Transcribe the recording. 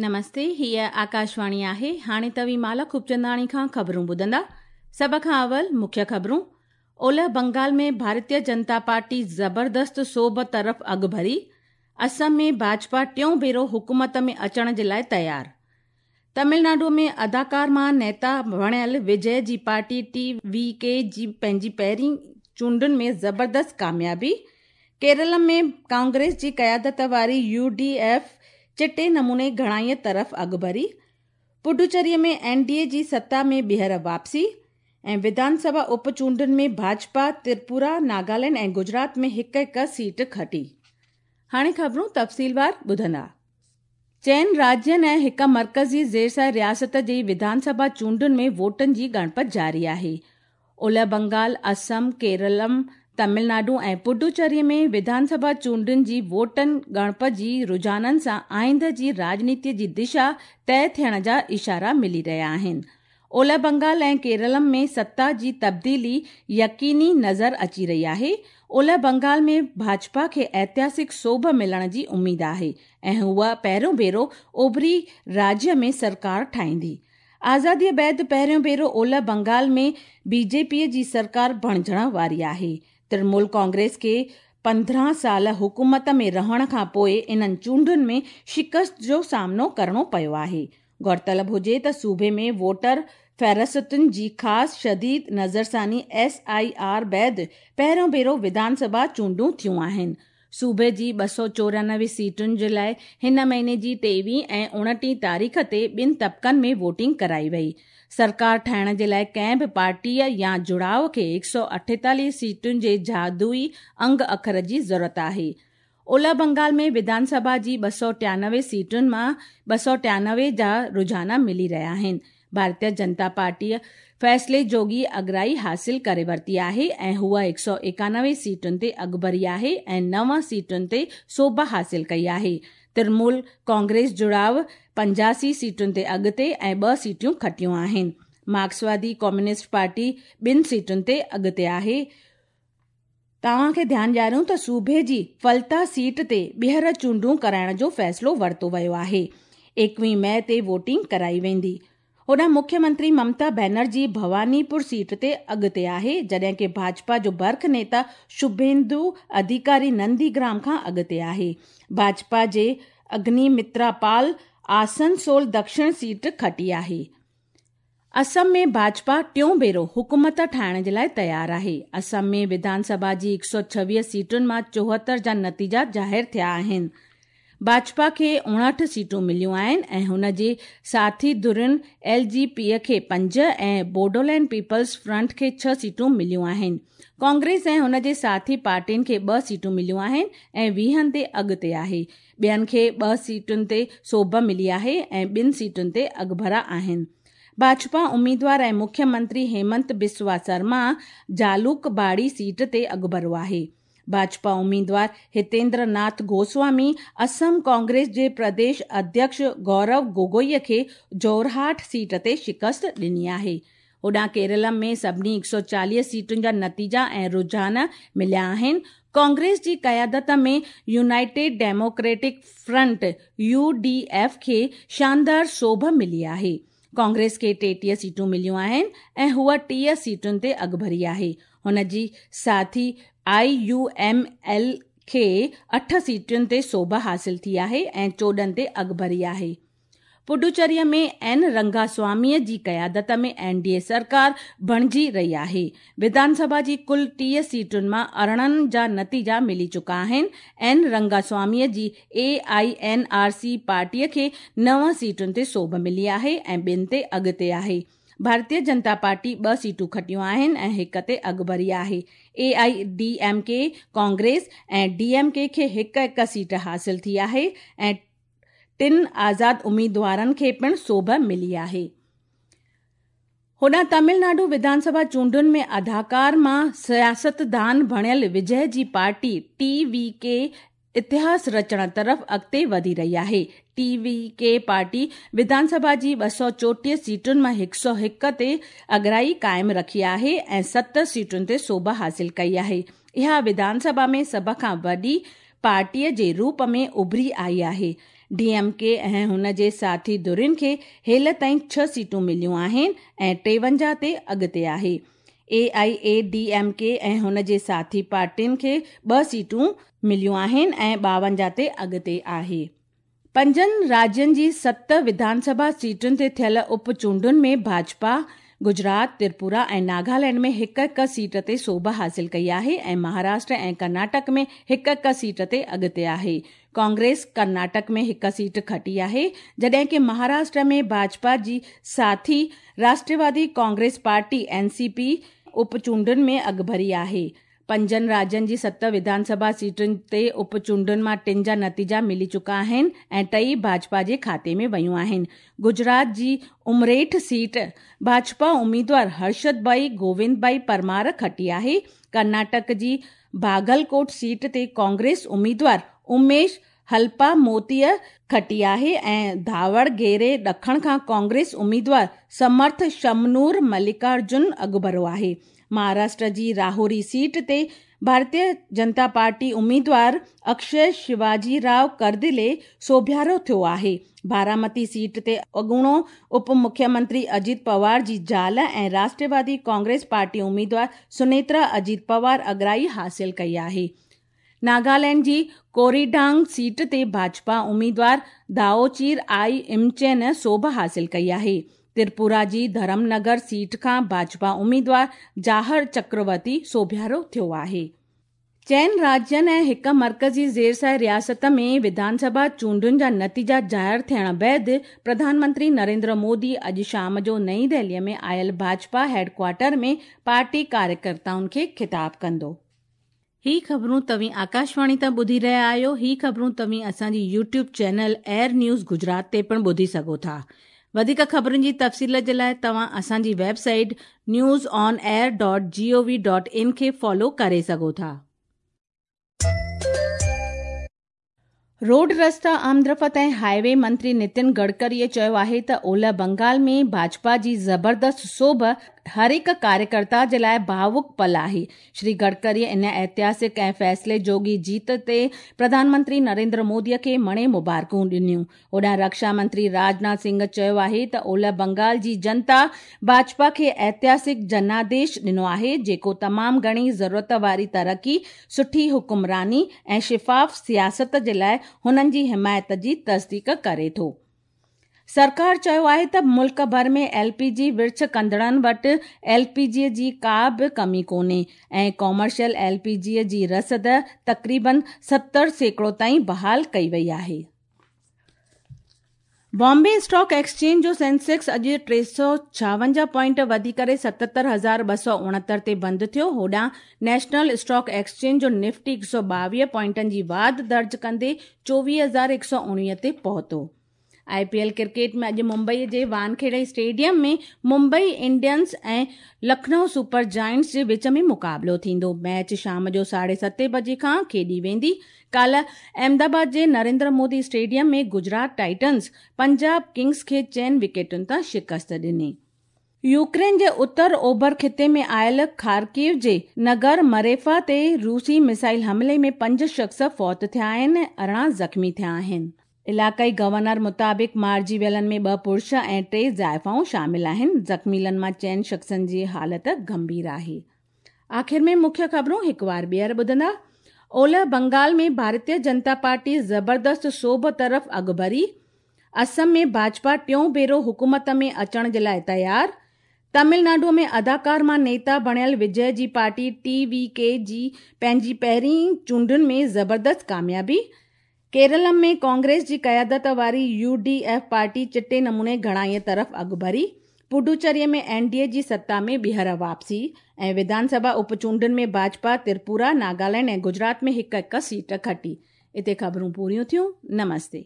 نمستي هيء آڪاشواڻي آهي هاڻي توهين مالا خوبچنداڻي کان خبرون ٻڌندا سڀ کان اول مکيه خبرون اولهه بنگال ۾ ڀارتيه جنتا پارٽي زبردست سوڀ طرف اڳڀري اسم ۾ ڀاجپا ٽيون ڀيرو حڪومت ۾ اچڻ جي لاء تيار تمل ناڊو ۾ اداڪار مان نيتا بڻيل وجي جي پارٽي ٽي وي ڪي جي پنهنجي پهرين چونڊن ۾ زبردست ڪاميابي ڪيرل ۾ ڪانگريس جي قيادت واري يو ڊي ايف چٽي نموني گهڻائيء طرف اڳڀري پڊوچيري ۾ اين ڊي اي جي ستا ۾ ٻيهر واپسي ۽ وڌان سڀا اپ چونڊن ۾ ڀاجپا تريپورا ناگالينڊ ۽ گجرات ۾ هڪ هڪ سيٽ کٽي. هاڻي خبرون تفصيلوار ٻڌندا. چئن راجين ۽ هڪ مرڪزي زيرسايه رياست جي وڌان سڀا چونڊن ۾ ووٽن جي ڳڻپ جاري آهي. اولهه بنگال، اسم، ڪيرلم، تمل ناڊو ۽ پڊوچيري ۾ وڌان سڀا چونڊن جي ووٽن ڳڻپ جي رجحانن سان آئنده جي راڄنيتي جي دشا طئي ٿيڻ جا اشارا ملي رهيا آهن. اولهه بنگال ۽ ڪيرلم ۾ ستا جي تبديلي يقيني نظر اچي رهي آهي. اولهه بنگال ۾ ڀاجپا کي اتهاسڪ سوڀ ملڻ جي اميد آهي ۽ هوء پهريون ڀيرو اوڀري راجيه ۾ سرڪار ٺاهيندي. آزاديء بعد پهريون ڀيرو اولهه بنگال ۾ بي جي پي جي سرڪار بڻجڻ واري آهي. ترڻمول ڪانگريس کي 15 سال حڪومت ۾ رهڻ کان پوء انهن چونڊن ۾ شڪست جو سامنو ڪرڻو پيو آهي. غور طلب هجي ته صوبي ۾ ووٽر فهرستن جي خاص شديد نظرثاني ايس I R بعد پهريون ڀيرو وڌان سڀا چونڊون ٿيون آهن. صوبي جي 294 سيٽن جي لاء هن مهيني جي 23 ۽ 29 تاريخ تي ٻن طبقن ۾ ووٽنگ ڪرائي وئي. سرڪار ٺاهڻ جي لاء ڪنهن به پارٽيء يا جڙاء کي 148 سيٽن جي جادوئي انگ اکر جي ضرورت آهي. اولهه بنگال ۾ وڌان سڀا جي 293 سيٽن مان 293 جا رجحان ملي رهيا آهن. ڀارتيه جنتا پارٽيء فيصلي جوڳي اڳرائي حاصل ڪري ورتي آهي ۽ هوء 191 سيٽن تي اڳڀري آهي ۽ 9 سيٽن تي سوڀ حاصل ڪئي آهي. ترڻمول ڪانگريس جڙاء 85 سيٽن تي اڳتي ۽ 2 سيٽون کٽيون آهن. مارڪسوادي ڪميونسٽ پارٽي 2 سيٽن تي اڳتي آهي. توهان کي ڌيان ڏياريون ته صوبي جي فلتا سيٽ تي ٻيهر چونڊون ڪرائڻ جو فيصلو ورتو ويو آهي. 21 مئي تي ووٽنگ ڪرائي ويندي. هوڏانهن مکيه منتري ممتا بينرجي ڀواني پور سيٽ تي اڳتي آهي، جڏهن ڪه ڀاجپا جو برک نيتا شڀيندو اڌيڪاري نندي گرام کان اڳتي آهي. ڀاجپا جي اگني مترا پال آسن سول دڪشڻ سيٽ کٽي آهي. اسم ۾ ڀاجپا ٽيون ڀيرو حڪومت ٺاهڻ جي لاء تيار آهي. اسم ۾ وڌان سڀا جي 126 سيٽن مان 74 جا نتيجا ظاهر ٿيا آهن. ڀاجپا کي 59 سيٽون مليون آهن ۽ هن جي ساٿي ڌرين ايل جي پي کي 5 ۽ بوڊولينڊ پيپلز فرنٽ کي 6 سيٽون مليون آهن. ڪانگريس ۽ هن جي ساٿي پارٽين کي 2 سيٽون مليون آهن ۽ 20 تي اڳتي آهي. ٻين کي 2 سيٽن تي سوڀ ملي آهي ۽ 2 سيٽن تي اڳڀرا آهن. ڀاجپا اميدوار ۽ مکيه منتري هيمنت بسوا سرما جالوڪ باڙي سيٽ تي اڳڀرو آهي. ڀاجپا اميدوار هتيندر ناٿ گوسوامي اسم ڪانگريس جي پرديش اڌيڪش گورو گوگوئي کي جورهاٽ سيٽ تي شڪست ڏني آهي. هوڏانهن ڪيرل ۾ سڀني 140 سيٽن جا نتيجا ۽ رجحان مليا آهن. ڪانگريس جي قيادت ۾ united democratic front, U D F, کي شاندار سوڀ ملي آهي. ڪانگريس کي 33 سيٽون مليون آهن ۽ هوء 30 سيٽن تي اڳڀري آهي. هن جي ساٿي آء يو ايم ايل کي 8 سيٽن تي سوڀ حاصل ٿي آهي ۽ 14 تي اڳڀري آهي. پڊوچيري ۾ اين رنگاسوامي جي قيادت ۾ اين ڊي اي سرڪار بڻجي رهي آهي. وڌان سڀا جي ڪل 30 سيٽن مان 18 جا نتيجا ملي چڪا آهن. اين رنگاسوامي جي اي I N R C پارٽيء کي 9 سيٽن تي سوڀ ملي آهي ۽ 2 تي اڳتي آهي. ڀارتيه جنتا پارٽي 2 سيٽون کٽيون آهن ۽ 1 تي اڳڀري آهي. اي I D M K, Congress ۽ D M K کي هڪ هڪ سيٽ حاصل ٿي آهي ۽ 3 آزاد اميدوارن کي پڻ سوڀ ملي آهي. هوڏانهن تامل ناڊو وڌان سڀا چونڊن ۾ اداڪار مان سياستدان بڻيل وجي جي پارٽي ٽي وي ڪي اتهاس رچڻ طرف اڳتي وڌي رهي آهي. ٽي وي ڪي پارٽي وڌان سڀا جي 234 سيٽن مان 101 تي اڳرائي قائم رکي آهي ۽ 7 سيٽن تي سوڀ حاصل ڪئي آهي. اها وڌان سڀا ۾ سڀ کان وڏي پارٽيء جي روپ ۾ اڀري آئي آهي. ڊي ايم ڪي ۽ هن جي ساٿي ڌرين کي هيل تائين 6 سيٽون مليون آهن ۽ 53 تي اڳتي آهي. A I A D M K ۽ هن جي ساٿي پارٽين کي 2 سيٽون مليون آهن ۽ 52 تي اڳتي آهي. پنجن راجين جي 7 وڌان سڀا سيٽن تي ٿيل اپ چونڊن ۾ ڀاجپا گجرات، تريپورا ۽ ناگالينڊ ۾ هڪ هڪ سيٽ تي سوڀ حاصل ڪئي آهي ۽ مهاراشٽر ۽ ڪرناٽڪ ۾ هڪ هڪ سيٽ تي اڳتي آهي. ڪانگريس ڪرناٽڪ ۾ هڪ سيٽ کٽي آهي، جڏهن ڪه مهاراشٽر ۾ ڀاجپا جي ساٿي Rashtrawadi Congress party N C P up چونڊن ۾ اڳڀري آهي. پنجن راجين جي 7 وڌان سڀا سيٽن تي اپ چونڊن مان 3 جا نتيجا ملي چڪا آهن ۽ ٽئي ڀاجپا جي کاتي ۾ ويون آهن. گجرات جي امريٺ سيٽ ڀاجپا اميدوار هرشد ڀائي گووند ڀائي پرمار کٽي آهي. ڪرناٽڪ جي باگلڪوٽ سيٽ تي ڪانگريس اميدوار اميش هلپا موتيء کٽي آهي ۽ ڌاوڻگيري ڏکڻ کان ڪانگريس اميدوار سمرٿ شمنور ملڪارجن اڳڀرو آهي. مهاراشٽر جي راهوري سيٽ تي ڀارتيه جنتا پارٽي اميدوار اڪشي شيواجي رائو ڪردلي سوڀيارو ٿيو آهي. بارامتي سيٽ تي اڳوڻو اپ مکيه منتري اجيت پوار جي زال ۽ راشٽروادي ڪانگريس پارٽي اميدوار سنيترا اجيت پوار اڳرائي حاصل ڪئي آهي. ناگالينڊ جي ڪوريڊانگ سيٽ تي ڀاجپا اميدوار دائوچير آئي امچين سوڀ حاصل ڪئي آهي. تريپورا جي ڌرم نگر سيٽ کان ڀاجپا اميدوار جاهر چڪرورتي سوڀيارو ٿيو آهي. 4 راجين ۽ هڪ مرڪزي زيرسايه رياست ۾ وڌان سڀا چونڊن جا نتيجا ظاهر ٿيڻ بعد پرڌان منتري نريندر مودي اڄ شام جو نئين دهلي ۾ آيل ڀاجپا هيڊ ڪوارٽر ۾ پارٽي ڪاريڪرتائن کي خطاب ڪندو. هي خبرون توهين آڪاشواڻي تان ٻڌي رهيا آهيو. هي خبرون توهين اسان جي YouTube channel air news Gujarat تي پڻ ٻڌي سگهو ٿا. وڌيڪ خبرن جي تفصيل جي لاءِ توهان اسان جي web site news on air dot G O V dot in کي فالو ڪري سگهو ٿا. روڊ رستا آمدرفت ۽ هاءِ وي منتري نتن گڊڪريءَ چيو آهي ته اولهه بنگال ۾ ڀاجپا جي زبردست سوڀ هر هڪ ڪاريڪرتا جي لاءِ ڀاوڪ پل آهي. شري گڊڪريءَ ان اتهاسڪ ۽ فيصلي جوڳي جيت تي پرڌان منتري نريندر موديءَ کي مڻي مبارڪون ڏنيون. هوڏانهن رڪشا منتري راجناٿ سنگهه چيو آهي ته اولهه بنگال جي جنتا ڀاجپا کي اتهاسڪ جناديش ڏنو آهي، جيڪو تمام گهڻي ضرورت واري ترقي، سٺي حڪمراني ۽ شفاف سياست جي لاءِ هنن جي حمايت جي تصديق ڪري ٿو. سرڪار چيو آهي ته ملڪ ڀر ۾ ايل پي جي ورڇ ڪندڙن وٽ ايل پي جي جي ڪا به ڪمي ڪونهي ۽ ڪمرشل ايل پي جي جي رسد تقريبن 70% تائين بحال ڪئي وئي آهي. بامبي اسٽاڪ ايڪسچينج جو سينسيڪس اڄ 356 پوائنٽ وڌي ڪري 77,269 تي بند ٿيو. هوڏانهن نيشنل اسٽاڪ ايڪسچينج جو نفٽي 122 پوائنٽن جي واڌ درج ڪندي 24,119 تي پهتو. I P L cricket ۾ اڄ ممبئي جي Wankhede stadium ۾ Mumbai Indians ۽ Lucknow super giants جي وچ ۾ مقابلو ٿيندو. ميچ شام جو 7:30 بجي کان کيڏي ويندي. ڪالهه احمدآباد جي Narendra Modi stadium ۾ Gujarat Titans Punjab Kings کي 4 وڪيٽن تان شڪست ڏني. يوڪرين جي اتر اوڀر خطي ۾ آيل خارڪيو جي نگر مريفا تي روسي ميزائل حملي ۾ 5 شخص فوت ٿيا آهن، 18 زخمي ٿيا آهن. علائقائي گورنر مطابق مارجي ويلن ۾ 2 پرش ۽ 3 زائفائون شامل آهن. زخميلن مان 4 شخصن جي حالت گنڀير آهي. آخر ۾ مکيه خبرون هڪ وار ٻيهر ٻڌندا. اولهه بنگال ۾ ڀارتيه جنتا پارٽي زبردست سوڀ طرف اڳڀري. اسم ۾ ڀاجپا ٽيون ڀيرو حڪومت ۾ اچڻ جي لاءِ تيار. تامل ناڊو ۾ اداڪار مان نيتا بڻيل وجي جي پارٽي ٽي وي ڪي جي پنهنجي پهرين چونڊن ۾ زبردست ڪاميابي. ڪيرل ۾ ڪانگريس جي قيادت واري يو ڊي ايف پارٽي چٽي نموني گهڻائيءَ طرف اڳڀري. پڊوچيري ۾ اين ڊي اي جي ستا ۾ ٻيهر واپسي ۽ وڌان سڀا اپچونڊن ۾ ڀاجپا تريپورا، ناگالينڊ ۽ گجرات ۾ هڪ هڪ سيٽ کٽي. اتي خبرون پوريون ٿيون. نمستي.